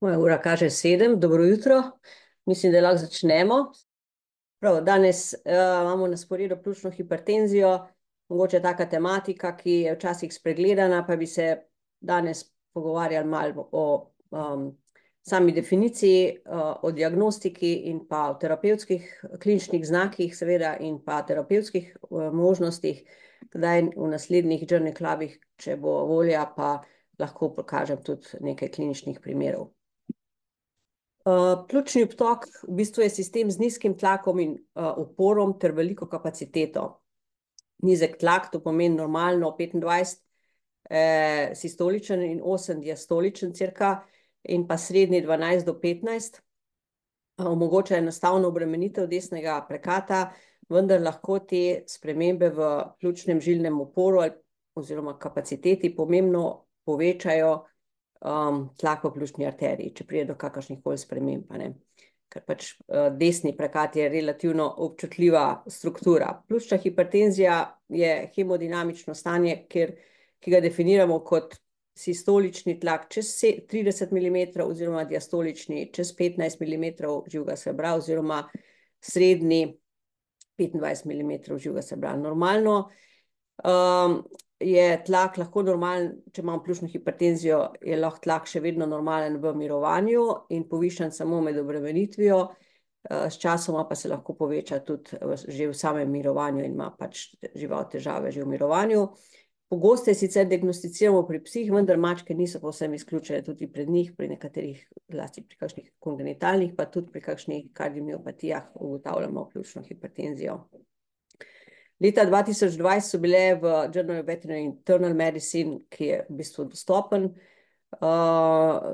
Moja ura kaže 7, dobro jutro. Mislim, da lahko začnemo. Prav, danes imamo na sporedu pljučno hipertenzijo, mogoče taka tematika, ki je včasih spregledana, pa bi se danes pogovarjali malo o sami definiciji, o diagnostiki in pa o terapevtskih kliničnih znakih, seveda, in pa terapevtskih možnostih. Kdaj v naslednjih Journey Clubih, če bo volja, pa lahko pokažem tudi nekaj kliničnih primerov. Pljučni obtok v bistvu je sistem z nizkim tlakom in uporom ter veliko kapaciteto. Nizek tlak, to pomeni normalno 25 sistoličen in 8 diastoličen cirka, in pa srednji 12 do 15. Omogoča enostavno obremenitev desnega prekata, vendar lahko te spremembe v pljučnem žilnem uporu oziroma kapaciteti pomembno povečajo tlak v pljučni arteriji, če pride do kakršnih koli sprememb, ker pač desni prekat je relativno občutljiva struktura. Pljučna hipertenzija je hemodinamično stanje, ki ga definiramo kot sistolični tlak čez 30 mm oziroma diastolični čez 15 mm živega srebra oziroma srednji 25 mm živega srebra. Normalno je tlak lahko normalen, če imamo pljučno hipertenzijo, je lahko tlak še vedno normalen v mirovanju in povišan samo med obremenitvijo, s časoma pa se lahko poveča tudi že v samem mirovanju in ima pač žival težave že v mirovanju. Pogosto sicer diagnosticiramo pri psih, vendar mačke niso povsem izključene tudi pri njih, pri nekaterih, zlasti pri kakšnih kongenitalnih, pa tudi pri kakšnih kardiomiopatijah ugotavljamo pljučno hipertenzijo. Leta 2020 so bile v Journal of Veterinary Internal Medicine, ki je v bistvu dostopen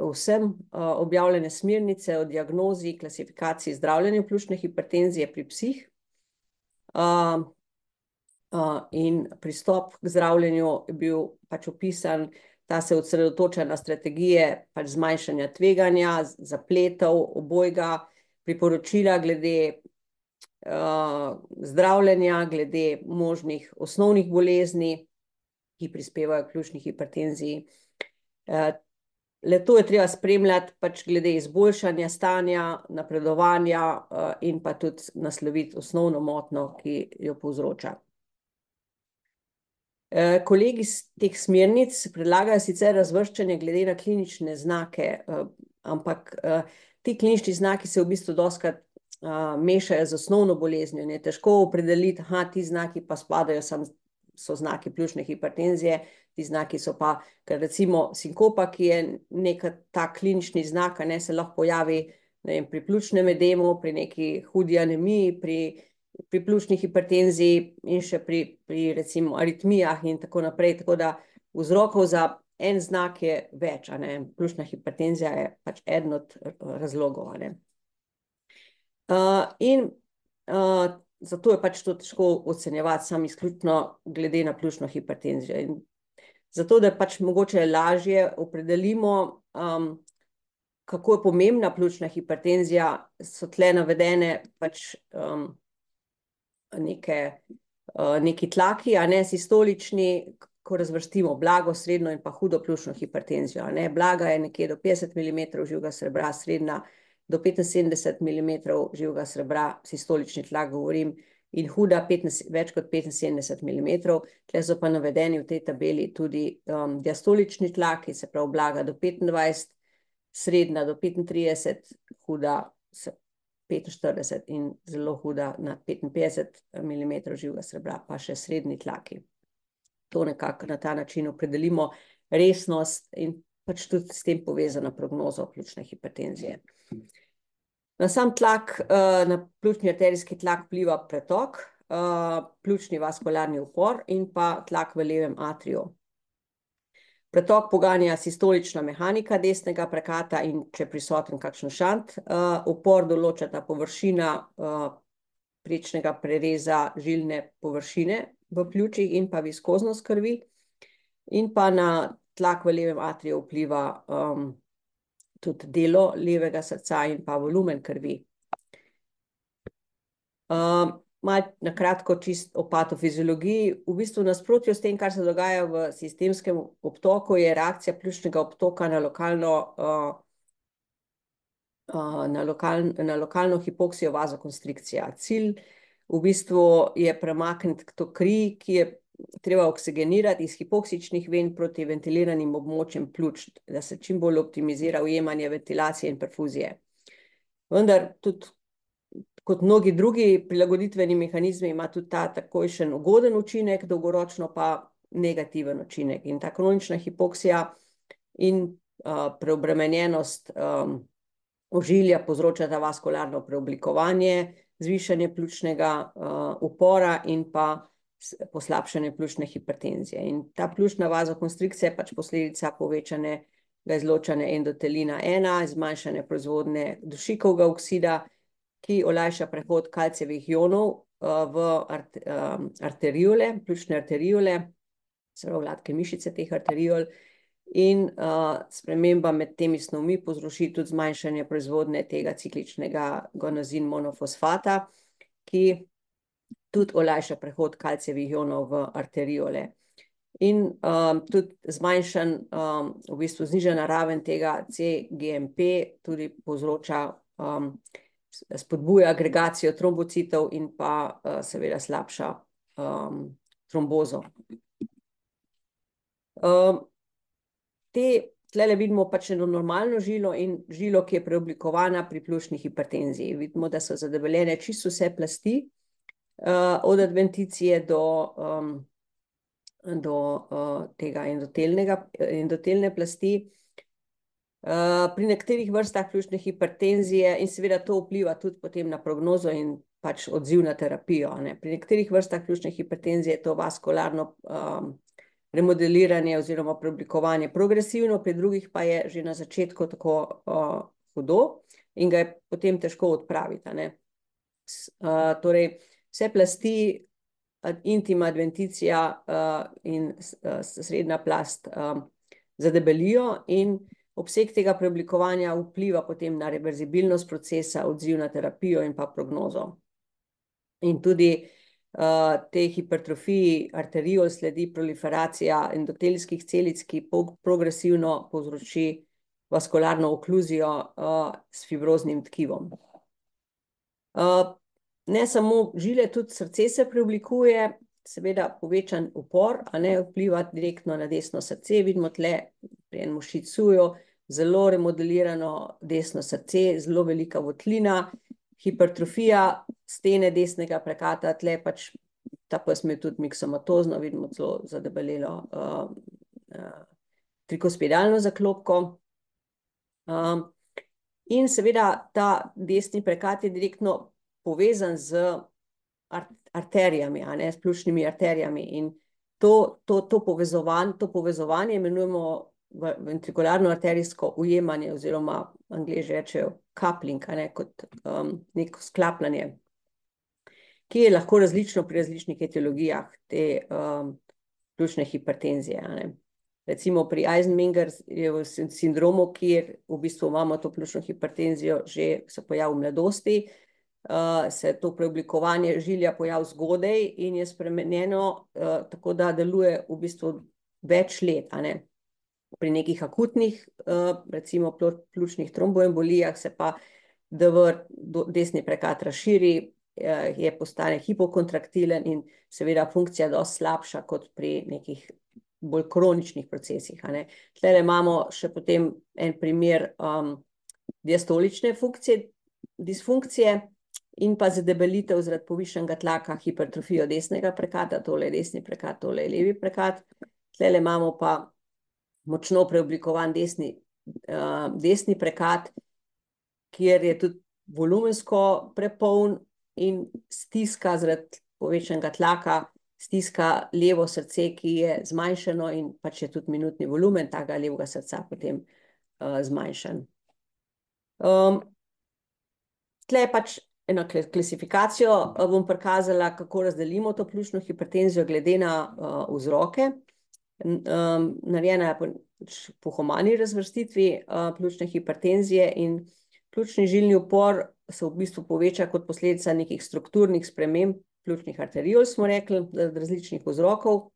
vsem, objavljene smernice o diagnozi, klasifikaciji, zdravljenju pljučne hipertenzije pri psih. In pristop k zdravljenju je bil pač opisan, da se osredotoča na strategije pač zmanjšanja tveganja, zapletov, obojga, priporočila glede zdravljenja, glede možnih osnovnih bolezni, ki prispevajo k pljučni hipertenziji. Le-to je treba spremljati pač glede izboljšanja stanja, napredovanja in pa tudi nasloviti osnovno motnjo, ki jo povzroča. Kolegi iz teh smernic predlagajo sicer razvrščanje glede na klinične znake, ampak ti klinični znaki se v bistvu dostikrat mešajo z osnovno boleznijo in je težko opredeliti, ti znaki pa spadajo, so znaki pljučne hipertenzije, ti znaki so pa, ker recimo sinkopa, ki je nek ta klinični znak, se lahko pojavi, ne vem, pri pljučnem edemu, pri neki hudi anemiji, pri pljučni hipertenziji in še pri recimo aritmijah in tako naprej, tako da vzrokov za en znak je več, pljučna hipertenzija je pač eden od razlogov, in zato je pač to težko ocenjevati samo izključno glede na pljučno hipertenzijo. In zato, da pač mogoče lažje opredelimo, kako je pomembna pljučna hipertenzija, so tle navedene pač neki tlaki, sistolični, ko razvrstimo blago, srednjo in pa hudo pljučno hipertenzijo, Blaga je nekje do 50 mm živega srebra, srednja do 75 mm živega srebra, sistolični tlak govorim, in huda več kot 75 mm. Tle so pa navedeni v tej tabeli tudi diastolični tlaki, se pravi blaga do 25, srednja do 35, huda 45 in zelo huda na 55 mm živega srebra, pa še srednji tlaki. To nekako na ta način opredelimo resnost in pač tudi s tem povezana prognoza pljučne hipertenzije. Na sam tlak, na pljučni arterijski tlak vpliva pretok, pljučni vaskularni upor in pa tlak v levem atriju. Pretok poganja sistolična mehanika desnega prekata in če prisoten kakšen šant, upor določata površina prečnega prereza žilne površine v pljučih in pa viskoznost krvi, in pa na tlak v levem atriju vpliva tudi delo levega srca in pa volumen krvi. Malo na kratko čisto o patofiziologiji. V bistvu nasprotju s tem, kar se dogaja v sistemskem obtoku, je reakcija pljučnega obtoka na lokalno na lokalno hipoksijo vazokonstrikcija. Cilj v bistvu je premakniti to kri, ki je treba oksigenirati iz hipoksičnih ven proti ventiliranim območjem pljuč, da se čim bolj optimizira ujemanje ventilacije in perfuzije. Vendar tudi kot mnogi drugi prilagoditveni mehanizmi ima tudi ta takojšen ugoden učinek, dolgoročno pa negativen učinek. In ta kronična hipoksija in preobremenjenost ožilja povzročata vaskularno preoblikovanje, zvišanje pljučnega upora in pa poslabšanje pljučne hipertenzije. In ta pljučna vazokonstrikcija je pač posledica povečanega izločanja endotelina 1, zmanjšanja proizvodnje dušikovega oksida, ki olajša prehod kalcijevih ionov v arteriole, pljučne arteriole, zelo gladke mišice teh arteriol, in sprememba med temi snovmi povzroči tudi zmanjšanje proizvodnje tega cikličnega guanozin monofosfata, ki tudi olajša prehod kalcijevih ionov v arteriole. In tudi zmanjšan, v bistvu znižana raven tega CGMP tudi povzroča, spodbuja agregacijo trombocitov in pa seveda slabša trombozo. Tlele vidimo pač eno normalno žilo in žilo, ki je preoblikovana pri pljučni hipertenziji. Vidimo, da so zadebeljene čisto vse plasti, od adventicije do tega endotelne plasti. Pri nekaterih vrstah pljučne hipertenzije in seveda to vpliva tudi potem na prognozo in pač odziv na terapijo, ne. Pri nekaterih vrstah pljučne hipertenzije je to vaskularno remodeliranje oziroma preoblikovanje progresivno, pri drugih pa je že na začetku tako hudo in ga je potem težko odpraviti, a ne. Torej, vse plasti, intima, adventicija in srednja plast zadebelijo in obseg tega preoblikovanja vpliva potem na reverzibilnost procesa, odziv na terapijo in pa prognozo. In tudi tej hipertrofiji arteriol sledi proliferacija endotelskih celic, ki progresivno povzroči vaskularno okluzijo s fibroznim tkivom. Ne samo žile, tudi srce se preoblikuje, seveda povečan upor, a ne, vpliva direktno na desno srce. Vidimo tle pri enem šicuju zelo remodelirano desno srce, zelo velika votlina, hipertrofija stene desnega prekata, tle pač ta pes je tudi miksomatozno, vidimo celo zadebelelo trikospiralno zaklopko. In seveda ta desni prekat je direktno povezan z arterijami, a ne, s pljučnimi arterijami, in to povezovanje imenujemo ventrikularno arterijsko ujemanje, oziroma Angleži rečejo coupling, a ne, kot neko sklapljanje, ki je lahko različno pri različnih etiologijah te pljučne hipertenzije, a ne. Recimo pri Eisenmenger sindromu, kjer v bistvu imamo to pljučno hipertenzijo, že se pojavi v mladosti, se to preoblikovanje žilja pojavi zgodaj in je spremenjeno, tako da deluje v bistvu več let, a ne. Pri nekih akutnih, recimo pljučnih tromboembolijah, se pa DV, desni prekat razširi, postane hipokontraktilen in seveda funkcija dosti slabša kot pri nekih bolj kroničnih procesih, a ne. Tlele imamo še potem en primer diastolične disfunkcije in pa zadebelitev zaradi povišanega tlaka, hipertrofijo desnega prekata, tole je desni prekat, tole je levi prekat. Tlele imamo pa močno preoblikovan desni prekat, kjer je tudi volumensko prepoln in stiska zaradi povečanega tlaka, stiska levo srce, ki je zmanjšano, in pač je tudi minutni volumen tega levega srca potem zmanjšan. Tle pač eno klasifikacijo bom prikazala, kako razdelimo to pljučno hipertenzijo glede na vzroke. Narejena je po humani razvrstitvi pljučne hipertenzije in pljučni žilni upor se v bistvu poveča kot posledica nekih strukturnih sprememb pljučnih arteriol, smo rekli, različnih vzrokov,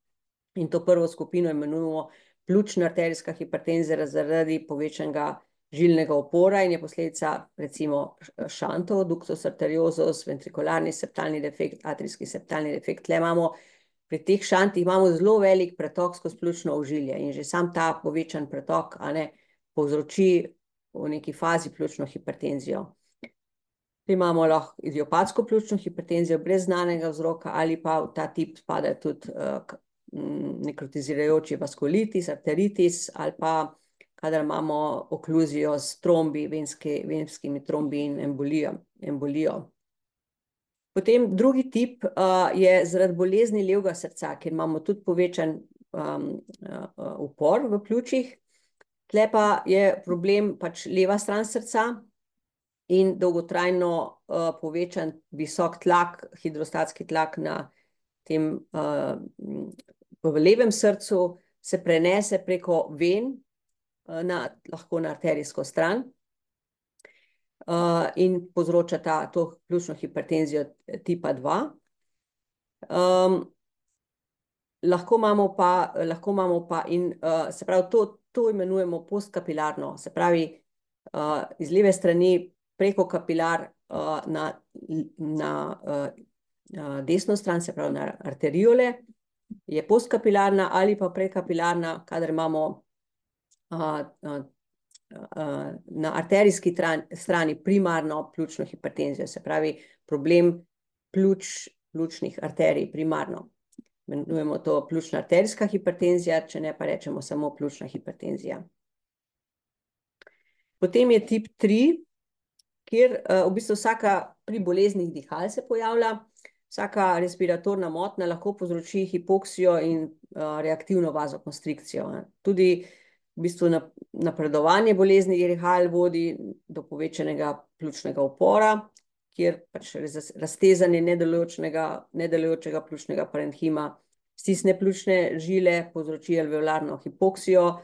in to prvo skupino imenujemo pljučna arterijska hipertenzija zaradi povečanega žilnega upora in je posledica recimo šantov, ductus arteriosus, ventrikularni septalni defekt, atrijski septalni defekt. Tle imamo pri teh šantih imamo zelo velik pretok skozi pljučno ožilje in že sam ta povečan pretok, povzroči v neki fazi pljučno hipertenzijo. Imamo lahko idiopatsko pljučno hipertenzijo brez znanega vzroka ali pa v ta tip spada tudi nekrotizirajoči vaskulitis, arteritis ali pa kadar imamo okluzijo s trombi, venskimi trombi in embolijo. Potem drugi tip je zaradi bolezni levega srca, kjer imamo tudi povečan upor v pljučih. Tle pa je problem pač leva stran srca in dolgotrajno povečan visok tlak, hidrostatski tlak na tem v levem srcu se prenese preko ven, lahko na arterijsko stran in povzroča to pljučno hipertenzijo tipa 2. Lahko imamo pa in se pravi, to imenujemo postkapilarno, se pravi, iz leve strani preko kapilar na desno stran, se pravi na arteriole, je postkapilarna ali pa prekapilarna, kadar imamo na arterijski strani primarno pljučno hipertenzijo, se pravi problem pljučnih arterij primarno. Imenujemo to pljučna arterijska hipertenzija, če ne pa rečemo samo pljučna hipertenzija. Potem je tip 3, kjer v bistvu vsaka pri boleznih dihal se pojavlja, vsaka respiratorna motnja lahko povzroči hipoksijo in reaktivno vazokonstrikcijo. Tudi v bistvu napredovanje bolezni dihal vodi do povečanega pljučnega upora, kjer pač raztezanje nedelujočega pljučnega parenhima stisne pljučne žile, povzroči alveolarno hipoksijo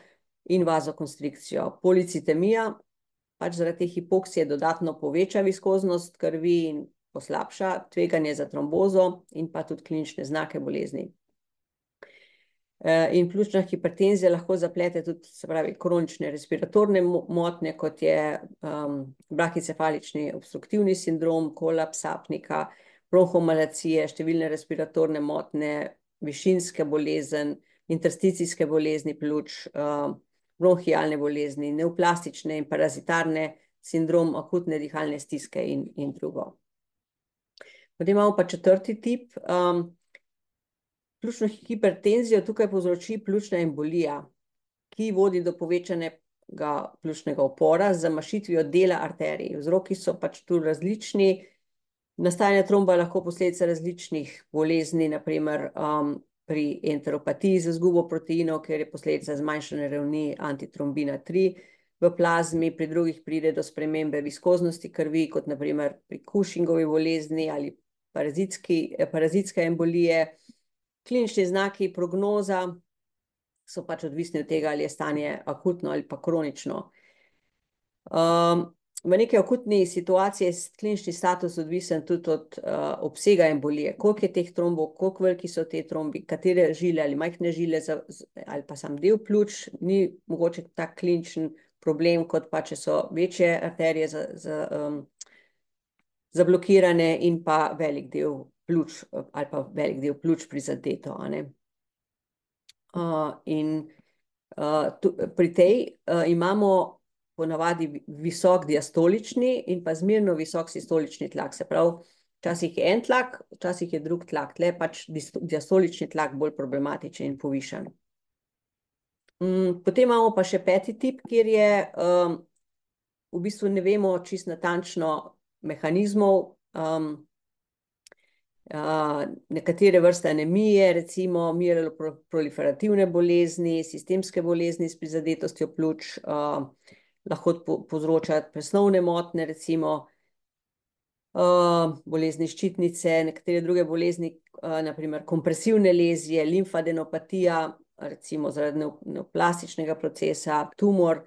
in vazokonstrikcijo. Policitemija pač zaradi te hipoksije dodatno poveča viskoznost krvi in poslabša tveganje za trombozo in pa tudi klinične znake bolezni. In pljučna hipertenzija lahko zaplete tudi, se pravi, kronične respiratorne motnje, kot je brahicefalični obstruktivni sindrom, kolaps apnika, bronhomalacije, številne respiratorne motnje, višinske bolezen, intersticijske bolezni pljuč, bronhialne bolezni, neoplastične in parazitarne sindrom akutne dihalne stiske in drugo. Potem imamo pa četrti tip, pljučno hipertenzijo tukaj povzroči pljučna embolija, ki vodi do povečanega pljučnega upora z zamašitvijo dela arterij. Vzroki so pač tu različni, nastajanje tromba lahko posledica različnih bolezni, na primer pri enteropatiji z izgubo proteinov, ker je posledica zmanjšane ravni antitrombina 3 v plazmi, pri drugih pride do spremembe viskoznosti krvi, kot na primer pri Cushingovi bolezni ali parazitske embolije. Klinični znaki, prognoza so pač odvisni od tega, ali je stanje akutno ali pa kronično. V neki akutni situaciji je klinični status odvisen tudi od obsega embolije, koliko je teh trombov, koliko veliki so te trombi, katere žile ali majhne žile ali pa sam del pljuč, ni mogoče tak kliničen problem, kot pa če so večje arterije zablokirane in pa velik del pljuč ali pa velik del pljuč prizadeto. Pri tej imamo ponavadi visok diastolični in pa zmerno visok sistolični tlak, se pravi, včasih je en tlak, včasih je drug tlak, tle pač diastolični tlak bolj problematičen in povišan. Potem imamo pa še peti tip, kjer je v bistvu ne vemo čisto natančno mehanizmov, nekatere vrste anemije, recimo mieloproliferativne bolezni, sistemske bolezni s prizadetostjo pljuč, lahko povzroča presnovne motnje, recimo bolezni ščitnice, nekatere druge bolezni, na primer kompresivne lezije, limfadenopatija, recimo zaradi neoplastičnega procesa, tumor,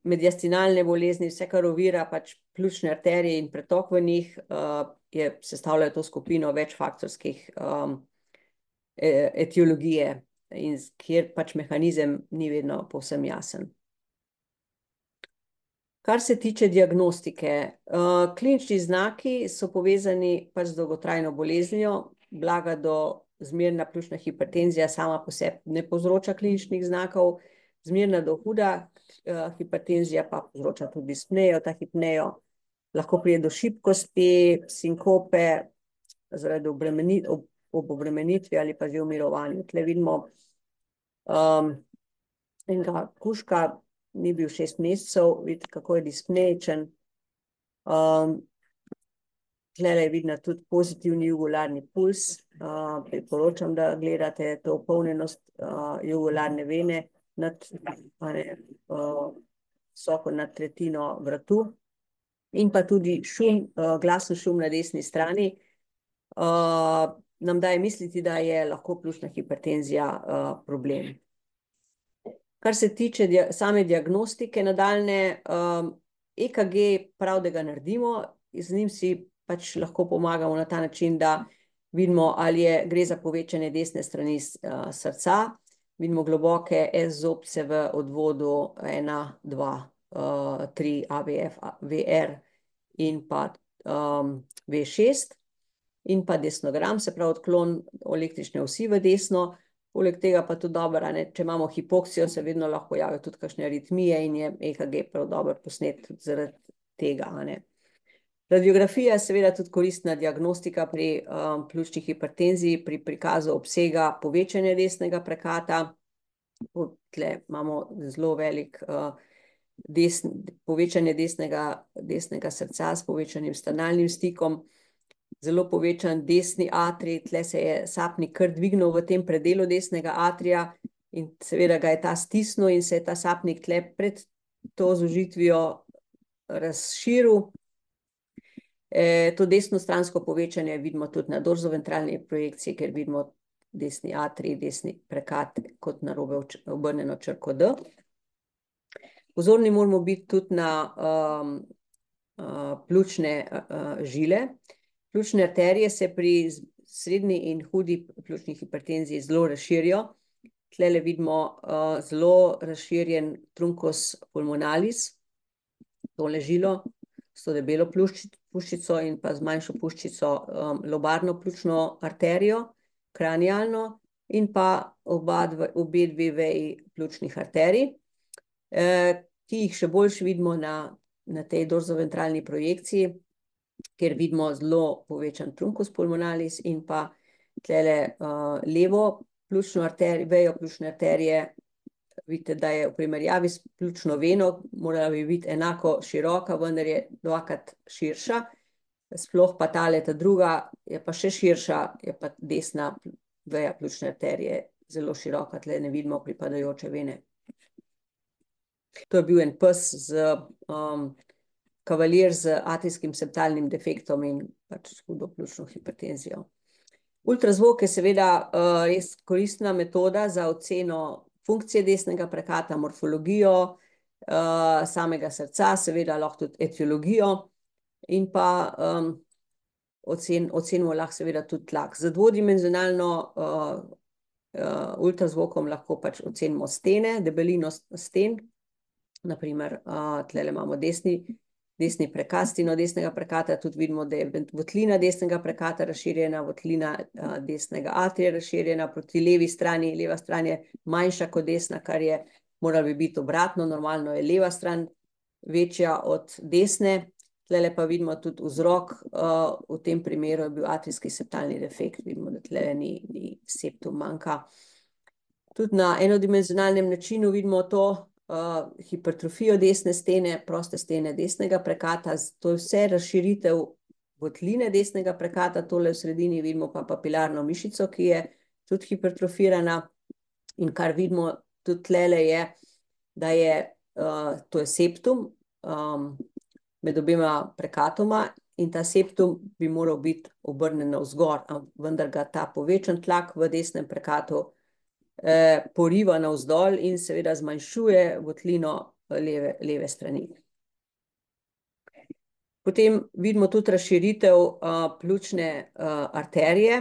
mediastinalne bolezni, vse, kar ovira pač pljučne arterije in pretok v njih, sestavljajo to skupino večfaktorskih etiologije, kjer pač mehanizem ni vedno povsem jasen. Kar se tiče diagnostike, klinični znaki so povezani pač z dolgotrajno boleznijo, blaga do zmerna pljučna hipertenzija sama po sebi ne povzroča kliničnih znakov, zmerna do huda hipertenzija pa povzroča tudi dispnejo, ta hipnejo lahko pride do šibkosti, sinkope, zaradi ob obremenitvi ali pa že umirovanju. Tle vidimo enega kužka, ni bil 6 mesecev, vidite, kako je dispneičen. Tlele je vidna tudi pozitivni jugularni puls. Priporočam, da gledate to polnjenost jugularne vene visoko nad tretjino vratu. In pa tudi šum, glasen šum na desni strani, nam daje misliti, da je lahko pljučna hipertenzija problem. Kar se tiče same diagnostike nadaljne, EKG prav, da ga naredimo, z njim si pač lahko pomagamo na ta način, da vidimo, ali gre za povečanje desne strani srca, vidimo globoke S-zobce v odvodu 1, 2, 3, AVF, VR in pa V6 in pa desnogram, se pravi odklon električne osi v desno. Poleg tega pa tudi dobro, če imamo hipoksijo, se vedno lahko javijo tudi kakšne aritmije in je EKG prav dobro posnet tudi zaradi tega. Radiografija je seveda tudi koristna diagnostika pri pljučni hipertenziji, pri prikazu obsega povečanja desnega prekata. Tle imamo zelo velik povečanje desnega srca s povečanim stanalnim stikom, zelo povečan desni atrij, tle se je sapnik kar dvignil v tem predelu desnega atrija in seveda ga je ta stisnil in se je ta sapnik tle pred to zožitvijo razširil. To desnostransko povečanje vidimo tudi na dorzoventralni projekciji, ker vidimo desni atrij, desni prekat kot narobe obrnjeno črko D. Pozorni moramo biti tudi na pljučne žile. Pljučne arterije se pri srednji in hudi pljučni hipertenziji zelo razširijo. Tlele vidimo zelo razširjen truncus pulmonalis, tole žilo, s to debelo puščico in pa z manjšo puščico lobarno pljučno arterijo, kranialno in pa obe dve veji pljučnih arterij, ki jih še boljše vidimo na tej dorzoventralni projekciji, kjer vidimo zelo povečan truncus pulmonalis in pa tlele levo pljučno vejo pljučne arterije. Vidite, da je v primerjavi s pljučno veno, morala bi biti enako široka, vendar je dvakrat širša, sploh pa tale ta druga je pa še širša, je pa desna veja pljučne arterije zelo široka, tle ne vidimo pripadajoče vene. To je bil en pes kavalir z atrijskim septalnim defektom in pač hudo pljučno hipertenzijo. Ultrazvok je seveda res koristna metoda za oceno funkcije desnega prekata, morfologijo samega srca, seveda lahko tudi etiologijo in pa ocenimo lahko seveda tudi tlak. Z dvodimenzionalno ultrazvokom lahko pač ocenimo stene, debelino sten, naprimer tlele imamo desni prekat, steno desnega prekata, tudi vidimo, da je votlina desnega prekata razširjena, votlina desnega atrija razširjena, proti levi strani, leva stran je manjša kot desna, kar je moralo bi biti obratno, normalno je leva stran večja od desne, tlele pa vidimo tudi vzrok, v tem primeru je bil atrijski septalni defekt, vidimo, da tlele ni septum manjka. Tudi na enodimenzionalnem načinu vidimo to, hipertrofijo desne stene, proste stene desnega prekata, to je vse razširitev votline desnega prekata, tole v sredini vidimo pa papilarno mišico, ki je tudi hipertrofirana in kar vidimo tudi tlele je, da je, to je septum med obema prekatoma in ta septum bi moral biti obrnjen navzgor, vendar ga ta povečan tlak v desnem prekatu poriva navzdol in seveda zmanjšuje votlino leve strani. Potem vidimo tudi razširitev pljučne arterije.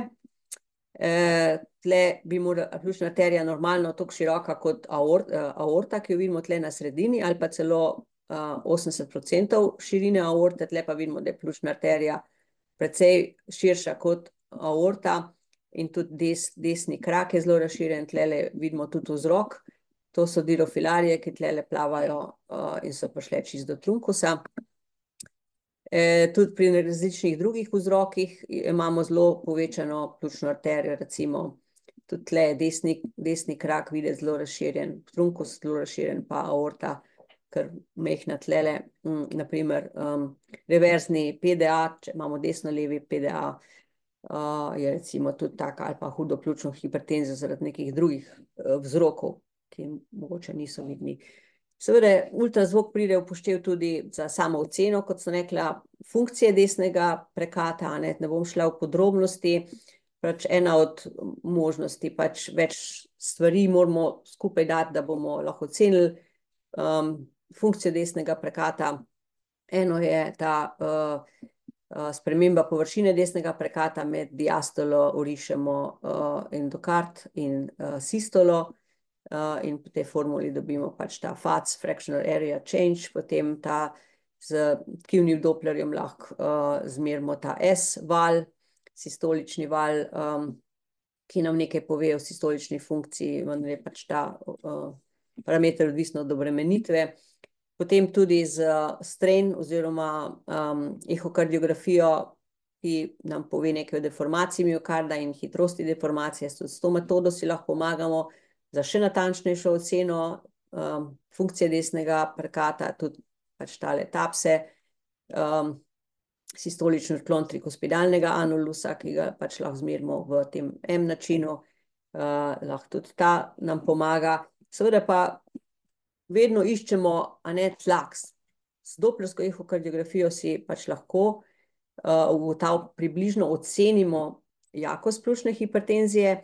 Tle bi morala pljučna arterija normalno toliko široka kot aorta, ki jo vidimo tle na sredini, ali pa celo 80% širine aorte, tle pa vidimo, da je pljučna arterija precej širša kot aorta in tudi desni krak je zelo razširjen, tle vidimo tudi vzrok. To so dirofilarije, ki tle plavajo in so prišle čisto do trunkusa. Tudi pri različnih drugih vzrokih imamo zelo povečano pljučno arterijo, recimo tudi tle je desni krak videti zelo razširjen, trunkus zelo razširjen, pa aorta, ker mehna tlele, naprimer reverzni PDA, če imamo desno-levi PDA, je recimo tudi taka ali pa hudo pljučno hipertenzijo zaradi nekih drugih vzrokov, ki mogoče niso vidni. Seveda, ultrazvok pride v upoštev tudi za samo oceno, kot sem rekla, funkcije desnega prekata, ne bom šla v podrobnosti, pač ena od možnosti, pač več stvari moramo skupaj dati, da bomo lahko ocenili funkcijo desnega prekata. Eno je ta sprememba površine desnega prekata med diastolo, orišemo endokard in sistolo, in po tej formuli dobimo pač ta FACS, fractional area change, potem ta z tkivnim doplerjem lahko zmerimo ta S-val, sistolični val, ki nam nekaj pove o sistolični funkciji, vendar je pač ta parameter odvisno od obremenitve. Potem tudi z strain oziroma ehokardiografijo, ki nam pove nekaj o deformaciji miokarda in hitrosti deformacije. S to metodo si lahko pomagamo za še natančnejšo oceno funkcije desnega prekata, tudi pač tale TAPSE, sistolični odklon trikospidalnega anulusa, ki ga pač lahko zmerimo v tem M načinu, lahko tudi ta nam pomaga. Seveda pa vedno iščemo tlak. Z doplersko ehokardiografijo si pač lahko približno ocenimo jakost pljučne hipertenzije,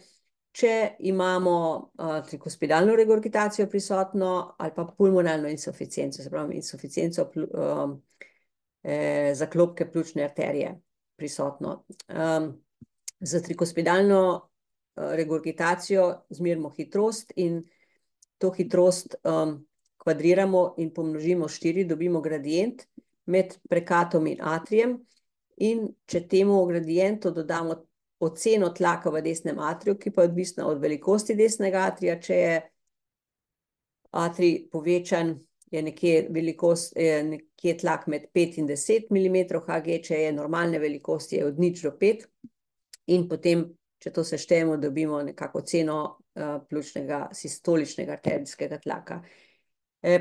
če imamo trikospidalno regurgitacijo prisotno ali pa pulmonalno insuficienco, se pravi insuficienco zaklopke pljučne arterije prisotno. Za trikospidalno regurgitacijo zmerimo hitrost in to hitrost kvadriramo in pomnožimo 4, dobimo gradient med prekatom in atrijem in če temu gradientu dodamo oceno tlaka v desnem atriju, ki pa je odvisna od velikosti desnega atrija, če je atrij povečan, je nekje tlak med 5 in 10 mm Hg, če je normalne velikosti, je od 0 do 5 in potem, če to seštejemo, dobimo nekako oceno pljučnega sistoličnega arterijskega tlaka.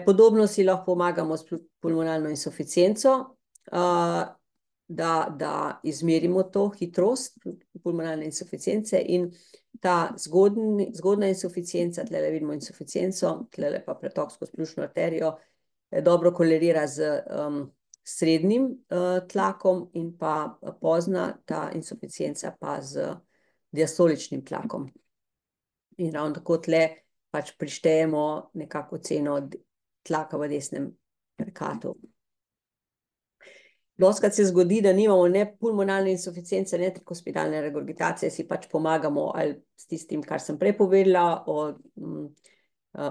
Podobno si lahko pomagamo s pulmonalno insuficienco, da izmerimo to hitrost pulmonalne insuficience in ta zgodna insuficienca, tle vidimo insuficienco, tle pa pretok skozi pljučno arterijo, dobro kolerira z srednjim tlakom in pa pozna ta insuficienca pa z diastoličnim tlakom. In ravno tako tle pač prištejemo nekako oceno tlaka v desnem prekatu. Dostikrat se zgodi, da nimamo ne pulmonalne insuficience, ne trikospidalne regurgitacije, si pač pomagamo ali s tistim, kar sem prej povedala,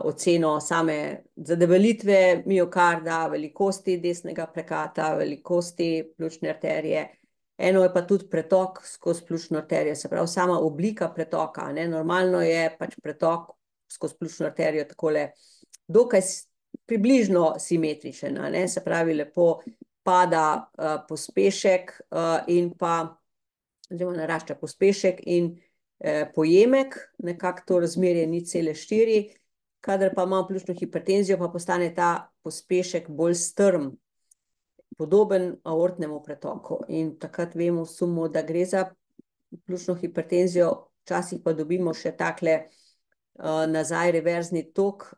oceno same zadebelitve miokarda, velikosti desnega prekata, velikosti pljučne arterije. Eno je pa tudi pretok skozi pljučno arterijo, se pravi sama oblika pretoka. Normalno je pač pretok skozi pljučno arterijo takole dokaj približno simetričen, se pravi lepo pada pospešek in pa oziroma narašča pospešek in pojemek, nekako to razmerje 0,4, kadar pa imamo pljučno hipertenzijo, pa postane ta pospešek bolj strm, podoben aortnemu pretoku. In takrat vemo v sumu, da gre za pljučno hipertenzijo, včasih pa dobimo še takle nazaj reverzni tok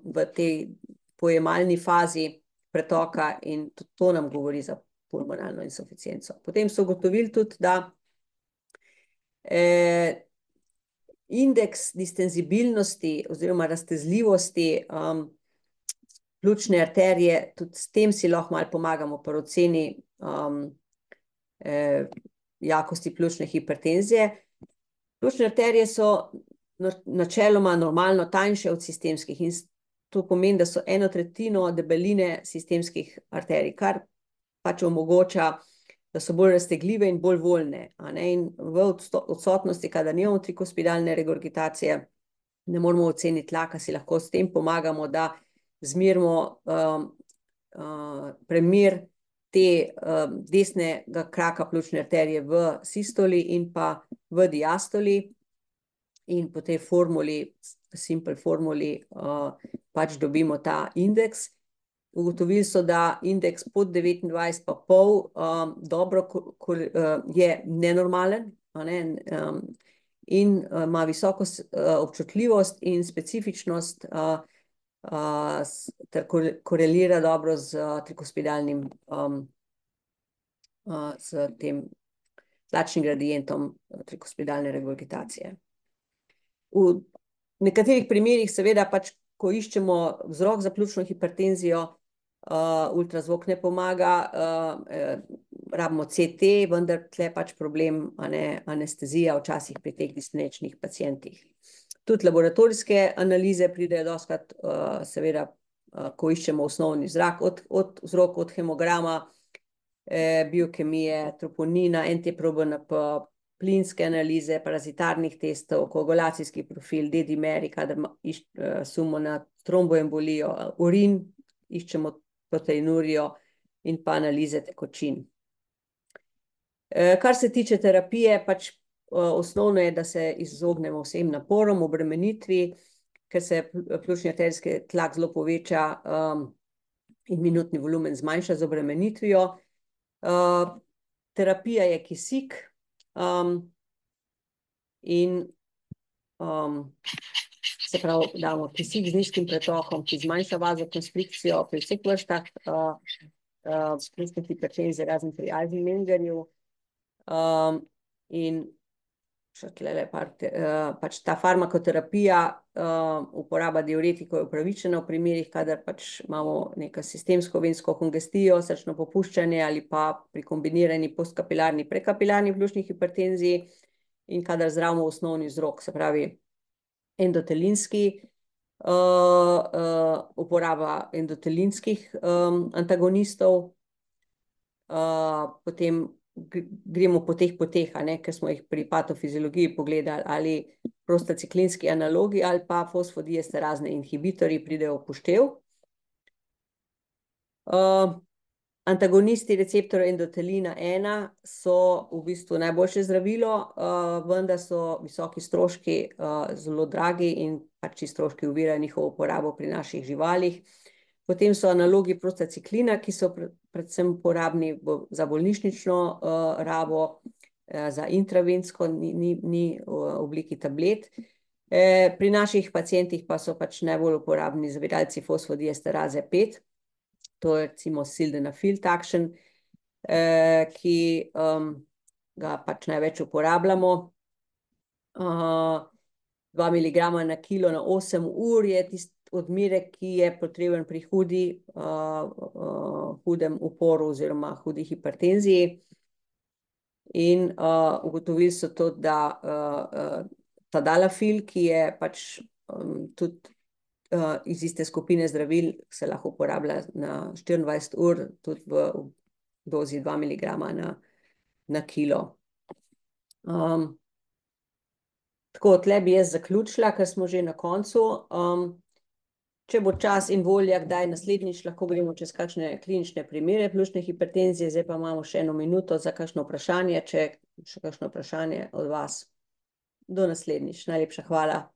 v tej pojemalni fazi pretoka in to nam govori za pulmonalno insuficienco. Potem so ugotovili tudi, da indeks distenzibilnosti oziroma raztezljivosti pljučne arterije, tudi s tem si lahko malo pomagamo pri oceni jakosti pljučne hipertenzije. Pljučne arterije so načeloma normalno tanjše od sistemskih in to pomeni, da so 1/3 debeline sistemskih arterij, kar pač omogoča, da so bolj raztegljive in bolj voljne. In v odsotnosti, kadar nimamo trikospidalne regurgitacije, ne moramo oceniti tlaka, si lahko s tem pomagamo, da zmerimo premer te desnega kraka pljučne arterije v sistoli in pa v diastoli, in po tej formuli, simple formuli, pač dobimo ta indeks. Ugotovili so, da indeks pod 29,5 dobro je nenormalen, in ima visoko občutljivost in specifičnost, ter korelira dobro z trikospidalnim, s tem tlačnim gradientom trikospidalne regurgitacije. V nekaterih primerih seveda pač, ko iščemo vzrok za pljučno hipertenzijo, ultrazvok ne pomaga, rabimo CT, vendar tle pač problem, anestezija včasih pri teh dispneičnih pacientih. Tudi laboratorijske analize pridejo dostikrat, seveda, ko iščemo osnovni vzrok, od hemograma, biokemije, troponina, NT-proBNP, plinske analize, parazitarnih testov, koagulacijski profil, D-dimeri, kadar sumimo na tromboembolijo, urin, iščemo proteinurijo in pa analize tekočin. Kar se tiče terapije, pač osnovno je, da se izognemo vsem naporom, obremenitvi, ker se pljučni arterijski tlak zelo poveča, in minutni volumen zmanjša z obremenitvijo. Terapija je kisik, in se pravi, damo kisik z nizkim pretokom, ki zmanjša vazokonstrikcijo pri vseh vrstah pljučne hipertenzije, razen pri Eisenmengerju. In še tlele pač ta farmakoterapija, uporaba diuretikov je upravičena v primerih, kadar pač imamo neko sistemsko vensko kongestijo, srčno popuščanje ali pa pri kombinirani postkapilarni, prekapilarni pljučni hipertenziji in kadar zdravimo osnovni vzrok, se pravi endotelinski, uporaba endotelinskih antagonistov, potem gremo po teh poteh, ker smo jih pri patofiziologiji pogledali, ali prostaciklinski analogi ali pa fosfodiesterazne inhibitorji pridejo v poštev. Antagonisti receptorja endotelina 1 so v bistvu najboljše zdravilo, vendar so visoki stroški, zelo dragi in pač ti stroški ovirajo njihovo uporabo pri naših živalih. Potem so analogi prostaciklina, ki so predvsem uporabni za bolnišnično rabo, za intravensko, ni v obliki tablet. Pri naših pacientih pa so pač najbolj uporabni zaviralci fosfodiesteraze 5, to je recimo sildenafil takšen, ki ga pač največ uporabljamo. 2 miligrama na kilo na 8 ur je tisti odmerek, ki je potreben pri hudem uporu oziroma hudi hipertenziji. In ugotovili so to, da tadalafil, ki je pač tudi iz iste skupine zdravil, se lahko uporablja na 24 ur, tudi v dozi 2 miligrama na kilo. Tako, tle bi jaz zaključila, ker smo že na koncu. Če bo čas in volja, kdaj naslednjič, lahko gremo čez kakšne klinične primere pljučne hipertenzije, zdaj pa imamo še 1 minuto za kakšno vprašanje, če še kakšno vprašanje od vas. Do naslednjič, najlepša hvala.